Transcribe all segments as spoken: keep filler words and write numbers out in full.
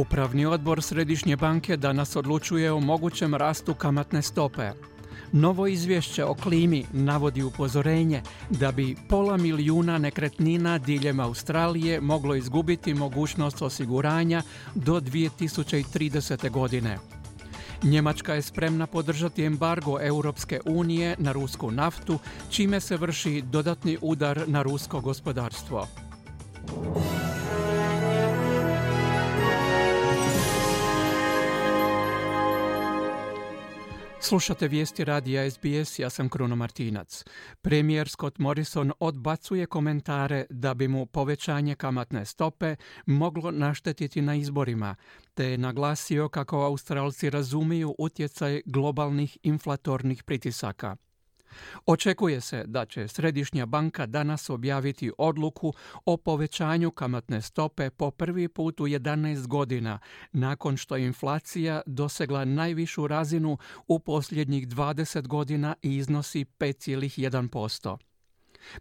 Upravni odbor Središnje banke danas odlučuje o mogućem rastu kamatne stope. Novo izvješće o klimi navodi upozorenje da bi pola milijuna nekretnina diljem Australije moglo izgubiti mogućnost osiguranja do dvije tisuće tridesete. godine. Njemačka je spremna podržati embargo Europske unije na rusku naftu, čime se vrši dodatni udar na rusko gospodarstvo. Slušate vijesti radija S B S, ja sam Kruno Martinac. Premijer Scott Morrison odbacuje komentare da bi mu povećanje kamatne stope moglo naštetiti na izborima, te je naglasio kako Australci razumiju utjecaj globalnih inflatornih pritisaka. Očekuje se da će Središnja banka danas objaviti odluku o povećanju kamatne stope po prvi put u jedanaest godina, nakon što je inflacija dosegla najvišu razinu u posljednjih dvadeset godina i iznosi pet zarez jedan posto.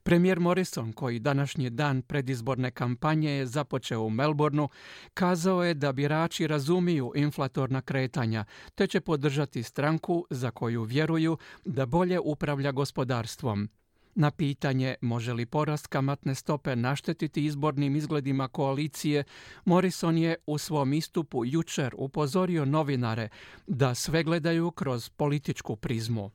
Premijer Morrison, koji današnji dan predizborne kampanje je započeo u Melbourneu, kazao je da birači razumiju inflatorna kretanja, te će podržati stranku za koju vjeruju da bolje upravlja gospodarstvom. Na pitanje može li porast kamatne stope naštetiti izbornim izgledima koalicije, Morrison je u svom istupu jučer upozorio novinare da sve gledaju kroz političku prizmu.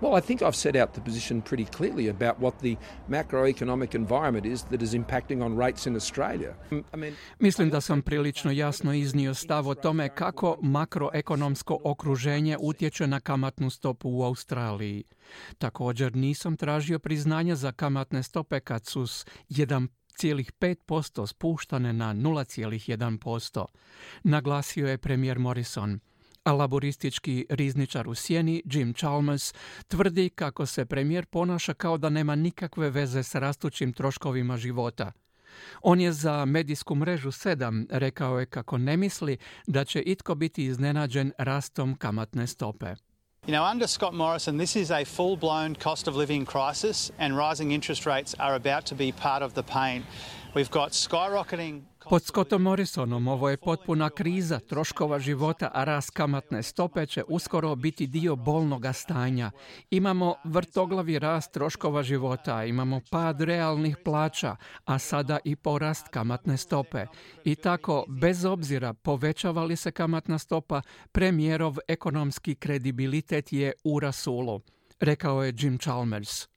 Well, I think I've set out the position pretty clearly about what the macroeconomic environment is that is impacting on rates in Australia. I mean, Mislim da sam prilično jasno iznio stav o tome kako makroekonomsko okruženje utječe na kamatnu stopu u Australiji. Također nisam tražio priznanja za kamatne stope kad su s jedan zarez pet posto spuštane na nula zarez jedan posto, naglasio je premijer Morrison. A laboristički rizničar u sjeni Jim Chalmers tvrdi kako se premijer ponaša kao da nema nikakve veze s rastućim troškovima života. On je za medijsku mrežu sedam rekao je kako ne misli da će itko biti iznenađen rastom kamatne stope. You know, under Scott Morrison, this is a full-blown cost of living crisis and rising interest rates are about to be part of the pain. We've got skyrocketing... Pod Scottom Morrisonom ovo je potpuna kriza troškova života, a rast kamatne stope će uskoro biti dio bolnoga stanja. Imamo vrtoglavi rast troškova života, imamo pad realnih plaća, a sada i porast kamatne stope. I tako, bez obzira povećava li se kamatna stopa, premijerov ekonomski kredibilitet je u rasulu, rekao je Jim Chalmers.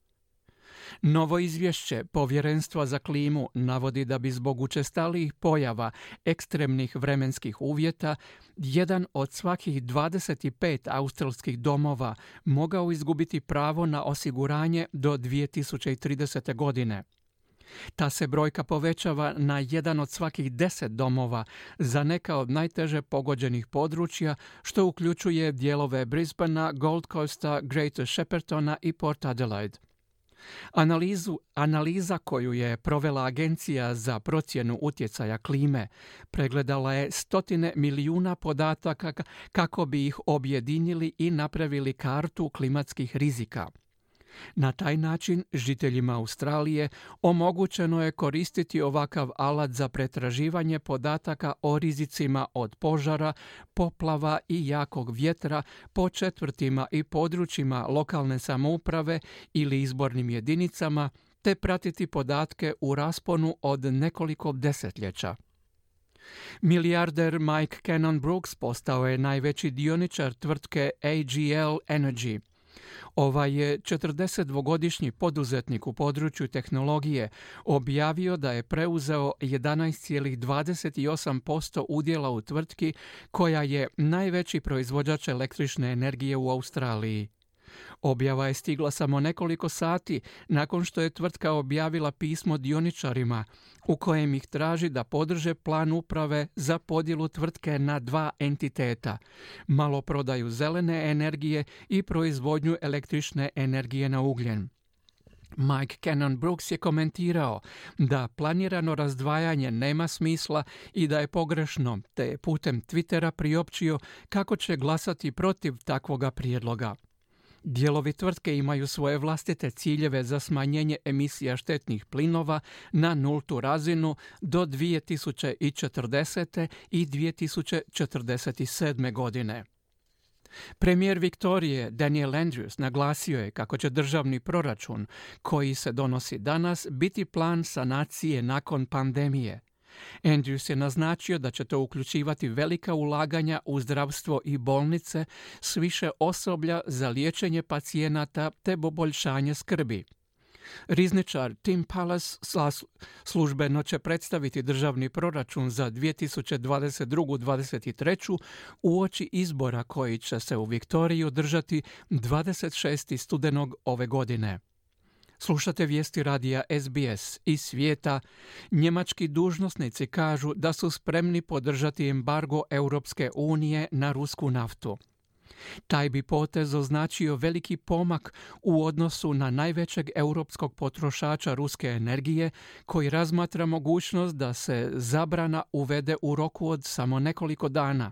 Novo izvješće Povjerenstva za klimu navodi da bi zbog učestalijih pojava ekstremnih vremenskih uvjeta jedan od svakih dvadeset pet australskih domova mogao izgubiti pravo na osiguranje do dvije tisuće tridesete. godine. Ta se brojka povećava na jedan od svakih deset domova za neka od najteže pogođenih područja, što uključuje dijelove Brisbanea, Gold Coasta, Greater Sheppartona i Port Adelaide. Analizu, analiza koju je provela Agencija za procjenu utjecaja klime pregledala je stotine milijuna podataka kako bi ih objedinili i napravili kartu klimatskih rizika. Na taj način žiteljima Australije omogućeno je koristiti ovakav alat za pretraživanje podataka o rizicima od požara, poplava i jakog vjetra po četvrtima i područjima lokalne samouprave ili izbornim jedinicama, te pratiti podatke u rasponu od nekoliko desetljeća. Milijarder Mike Cannon-Brookes postao je najveći dioničar tvrtke A G L Energy. Ovaj je četrdesetdvogodišnji poduzetnik u području tehnologije objavio da je preuzeo jedanaest zarez dvadeset osam posto udjela u tvrtki koja je najveći proizvođač električne energije u Australiji. Objava je stigla samo nekoliko sati nakon što je tvrtka objavila pismo dioničarima u kojem ih traži da podrže plan uprave za podjelu tvrtke na dva entiteta, maloprodaju zelene energije i proizvodnju električne energije na ugljen. Mike Cannon-Brookes je komentirao da planirano razdvajanje nema smisla i da je pogrešno, te je putem Twittera priopćio kako će glasati protiv takvoga prijedloga. Dijelovi tvrtke imaju svoje vlastite ciljeve za smanjenje emisija štetnih plinova na nultu razinu do dvije tisuće četrdesete. i dvije tisuće četrdeset sedme. godine. Premijer Viktorije Daniel Andrews naglasio je kako će državni proračun koji se donosi danas biti plan sanacije nakon pandemije. Andrews je naznačio da će to uključivati velika ulaganja u zdravstvo i bolnice s više osoblja za liječenje pacijenata te poboljšanje skrbi. Rizničar Tim Pallas službeno će predstaviti državni proračun za dvije tisuće dvadeset drugu do dvadeset treću uoči izbora koji će se u Viktoriji održati dvadeset šestog studenog ove godine. Slušate vijesti radija S B S iz svijeta. Njemački dužnosnici kažu da su spremni podržati embargo Europske unije na rusku naftu. Taj bi potez označio veliki pomak u odnosu na najvećeg europskog potrošača ruske energije, koji razmatra mogućnost da se zabrana uvede u roku od samo nekoliko dana.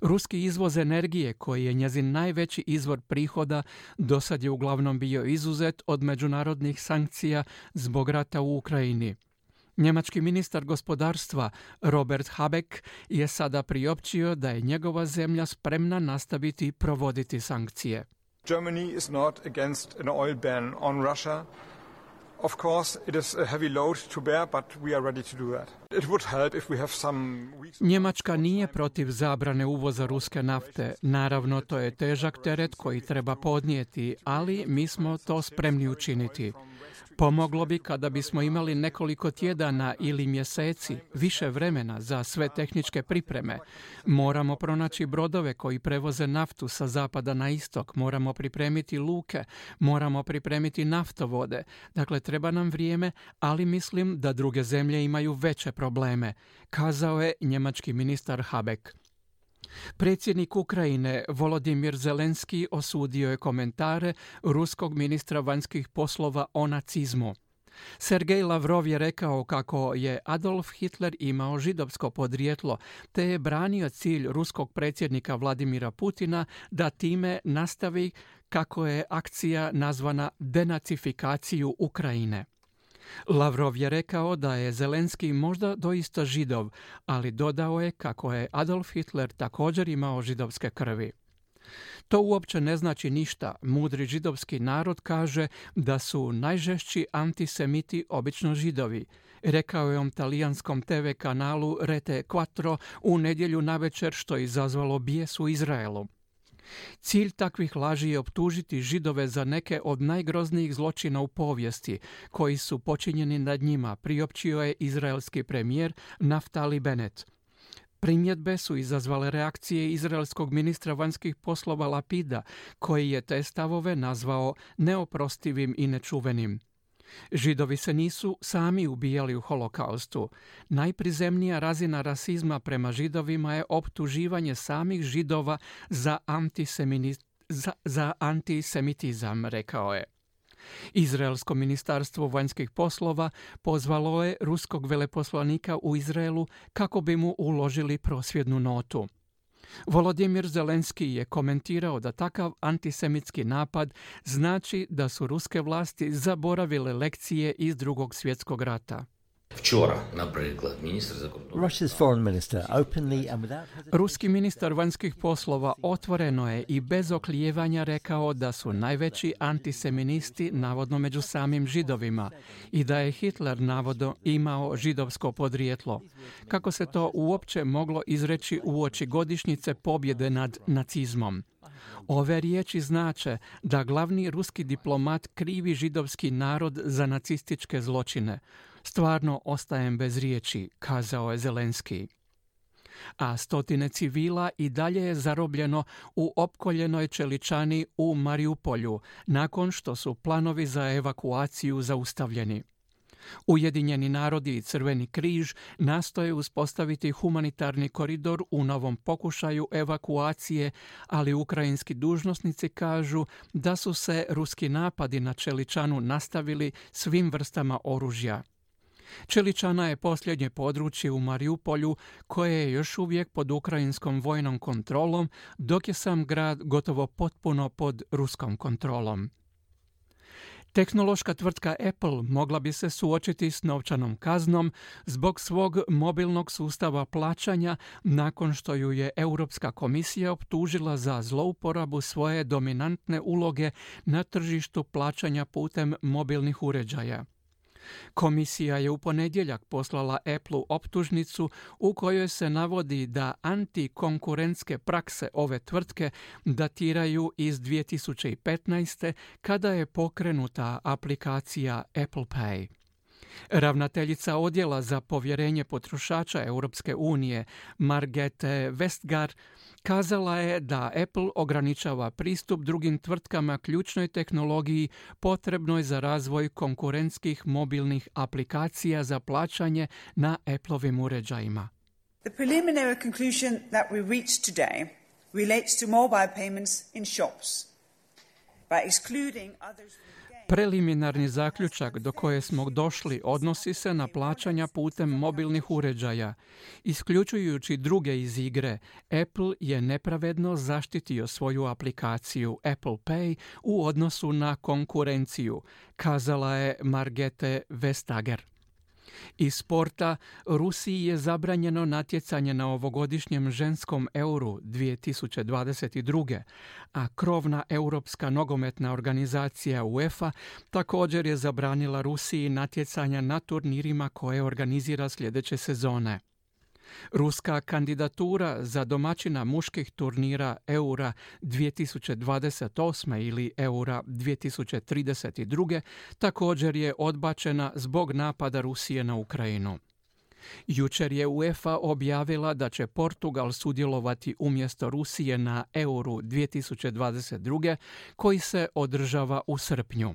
Ruski izvoz energije, koji je njezin najveći izvor prihoda, dosad je uglavnom bio izuzet od međunarodnih sankcija zbog rata u Ukrajini. Njemački ministar gospodarstva Robert Habeck je sada priopćio da je njegova zemlja spremna nastaviti provoditi sankcije. Germany is not against an oil ban on Russia. Of course, it is a heavy load to bear, but we are ready to do that. It would help if we have some weeks... Njemačka nije protiv zabrane uvoza ruske nafte. Naravno, to je težak teret koji treba podnijeti, ali mi smo to spremni učiniti. Pomoglo bi kada bismo imali nekoliko tjedana ili mjeseci, više vremena za sve tehničke pripreme. Moramo pronaći brodove koji prevoze naftu sa zapada na istok, moramo pripremiti luke, moramo pripremiti naftovode. Dakle, treba nam vrijeme, ali mislim da druge zemlje imaju veće probleme, kazao je njemački ministar Habeck. Predsjednik Ukrajine Volodimir Zelenski osudio je komentare ruskog ministra vanjskih poslova o nacizmu. Sergej Lavrov je rekao kako je Adolf Hitler imao židovsko podrijetlo, te je branio cilj ruskog predsjednika Vladimira Putina da time nastavi kako je akcija nazvana denacifikaciju Ukrajine. Lavrov je rekao da je Zelenski možda doista židov, ali dodao je kako je Adolf Hitler također imao židovske krvi. To uopće ne znači ništa. Mudri židovski narod kaže da su najžešći antisemiti obično židovi, rekao je on talijanskom te ve kanalu Rete Quattro u nedjelju navečer, što je izazvalo bijes u Izraelu. Cilj takvih laži je optužiti Židove za neke od najgroznijih zločina u povijesti koji su počinjeni nad njima, priopćio je izraelski premijer Naftali Bennett. Primjedbe su izazvale reakcije izraelskog ministra vanjskih poslova Lapida, koji je te stavove nazvao neoprostivim i nečuvenim. Židovi se nisu sami ubijali u holokaustu. Najprizemnija razina rasizma prema Židovima je optuživanje samih Židova za, za, za antisemitizam, rekao je. Izraelsko ministarstvo vanjskih poslova pozvalo je ruskog veleposlanika u Izraelu kako bi mu uložili prosvjednu notu. Volodimir Zelenski je komentirao da takav antisemitski napad znači da su ruske vlasti zaboravile lekcije iz Drugog svjetskog rata. Ruski ministar vanjskih poslova otvoreno je i bez oklijevanja rekao da su najveći antiseministi navodno među samim Židovima i da je Hitler navodno imao židovsko podrijetlo. Kako se to uopće moglo izreći uoči godišnjice pobjede nad nacizmom? Ove riječi znače da glavni ruski diplomat krivi židovski narod za nacističke zločine. Stvarno ostajem bez riječi, kazao je Zelenski. A stotine civila i dalje je zarobljeno u opkoljenoj čeličani u Mariupolju, nakon što su planovi za evakuaciju zaustavljeni. Ujedinjeni narodi i Crveni križ nastoje uspostaviti humanitarni koridor u novom pokušaju evakuacije, ali ukrajinski dužnosnici kažu da su se ruski napadi na čeličanu nastavili svim vrstama oružja. Čeličana je posljednje područje u Mariupolju koje je još uvijek pod ukrajinskom vojnom kontrolom, dok je sam grad gotovo potpuno pod ruskom kontrolom. Tehnološka tvrtka Apple mogla bi se suočiti s novčanom kaznom zbog svog mobilnog sustava plaćanja nakon što ju je Europska komisija optužila za zlouporabu svoje dominantne uloge na tržištu plaćanja putem mobilnih uređaja. Komisija je u ponedjeljak poslala Appleu optužnicu u kojoj se navodi da antikonkurentske prakse ove tvrtke datiraju iz dvije tisuće petnaeste. kada je pokrenuta aplikacija Apple Pay. Ravnateljica odjela za povjerenje potrošača Europske unije, Margrethe Vestager, kazala je da Apple ograničava pristup drugim tvrtkama ključnoj tehnologiji potrebnoj za razvoj konkurentskih mobilnih aplikacija za plaćanje na Appleovim uređajima. The preliminary conclusion that we reached today relates to mobile payments in shops. By excluding others Preliminarni zaključak do koje smo došli odnosi se na plaćanja putem mobilnih uređaja. Isključujući druge iz igre, Apple je nepravedno zaštitio svoju aplikaciju Apple Pay u odnosu na konkurenciju, kazala je Margrethe Vestager. Iz sporta, Rusiji je zabranjeno natjecanje na ovogodišnjem ženskom euru dvije tisuće dvadeset druge. a krovna europska nogometna organizacija UEFA također je zabranila Rusiji natjecanja na turnirima koje organizira sljedeće sezone. Ruska kandidatura za domaćina muških turnira Eura dvije tisuće dvadeset osme ili Eura dvije tisuće trideset druge također je odbačena zbog napada Rusije na Ukrajinu. Jučer je UEFA objavila da će Portugal sudjelovati umjesto Rusije na Euru dvije tisuće dvadeset druge koji se održava u srpnju.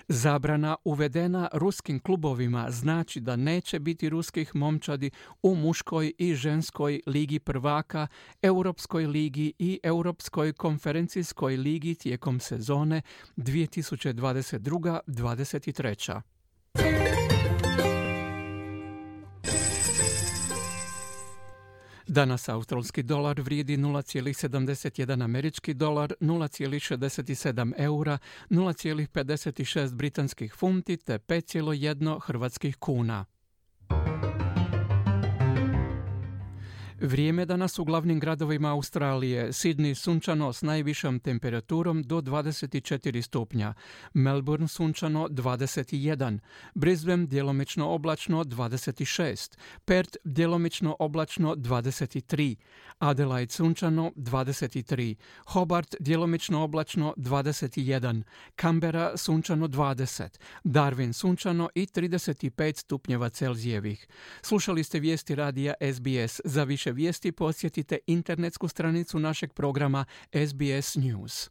Zabrana uvedena ruskim klubovima znači da neće biti ruskih momčadi u muškoj i ženskoj ligi prvaka, Europskoj ligi i Europskoj konferencijskoj ligi tijekom sezone dvije tisuće dvadeset druga dvadeset treća. Danas australski dolar vrijedi nula zarez sedamdeset jedan američki dolar, nula zarez šezdeset sedam eura, nula zarez pedeset šest britanskih funti te pet zarez jedan hrvatskih kuna. Vrijeme danas u glavnim gradovima Australije. Sydney sunčano s najvišom temperaturom do dvadeset četiri stupnja, Melbourne sunčano dvadeset jedan, Brisbane djelomično oblačno dvadeset šest, Perth djelomično oblačno dvadeset tri, Adelaide sunčano dvadeset tri, Hobart djelomično oblačno dvadeset jedan, Canberra sunčano dvadeset, Darwin sunčano i trideset pet stupnjeva Celzijevih. Slušali ste vijesti radija S B S. Za više vijesti posjetite internetsku stranicu našeg programa S B S News.